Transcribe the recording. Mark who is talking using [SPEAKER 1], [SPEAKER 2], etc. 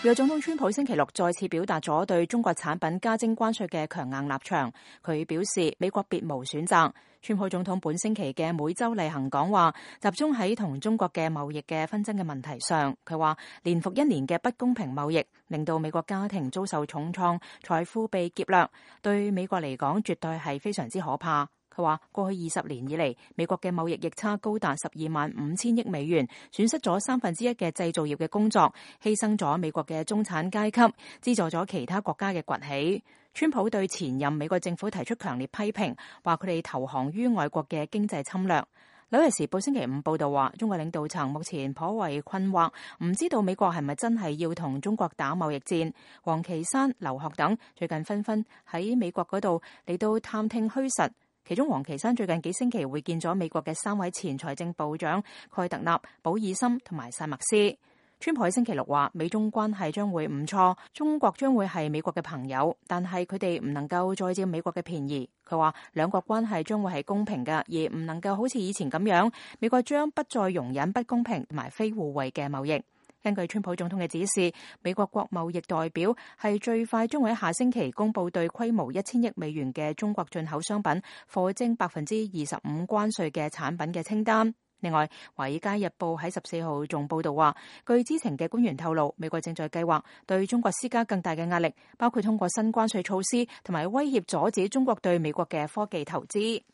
[SPEAKER 1] 美國總統川普星期六再次表達咗對中國產品加徵關稅嘅強硬立場。佢表示美國別無選擇。川普總統本星期嘅每週例行講話集中喺同中國嘅貿易嘅紛爭嘅問題上。佢話年復一年嘅不公平貿易令到美國家庭遭受重創，財富被劫掠，對美國嚟講絕對係非常之可怕。佢話過去20年以嚟，美國嘅貿易逆差高達12.5億美元，損失咗1/3嘅製造業嘅工作，犧牲咗美國嘅中產階級，資助咗其他國家嘅崛起。川普對前任美國政府提出強烈批評，話佢哋投降於外國嘅經濟侵略。紐約時報星期五報道話，中國領導層目前頗為困惑，唔知道美國係咪真係要同中國打貿易戰。王岐山、劉鶴等最近紛紛喺美國嗰度嚟到探聽虛實。其中，王岐山最近幾星期會見咗美國嘅3位前財政部長蓋特納、保爾森同埋薩默斯。川普喺星期六話，美中關係將會唔錯，中國將會係美國嘅朋友，但係佢哋唔能夠再佔美國嘅便宜。佢話兩國關係將會係公平嘅，而唔能夠好似以前咁樣，美國將不再容忍不公平同埋非互惠嘅貿易。根據川普總統嘅指示，美國國貿易代表係最快將會喺下星期公佈對規模1000億美元嘅中國進口商品課徵25%關稅嘅產品嘅清單。另外，《華爾街日報》喺14號仲報道話，據知情嘅官員透露，美國正在計劃對中國施加更大嘅壓力，包括通過新關稅措施同埋威脅阻止中國對美國嘅科技投資。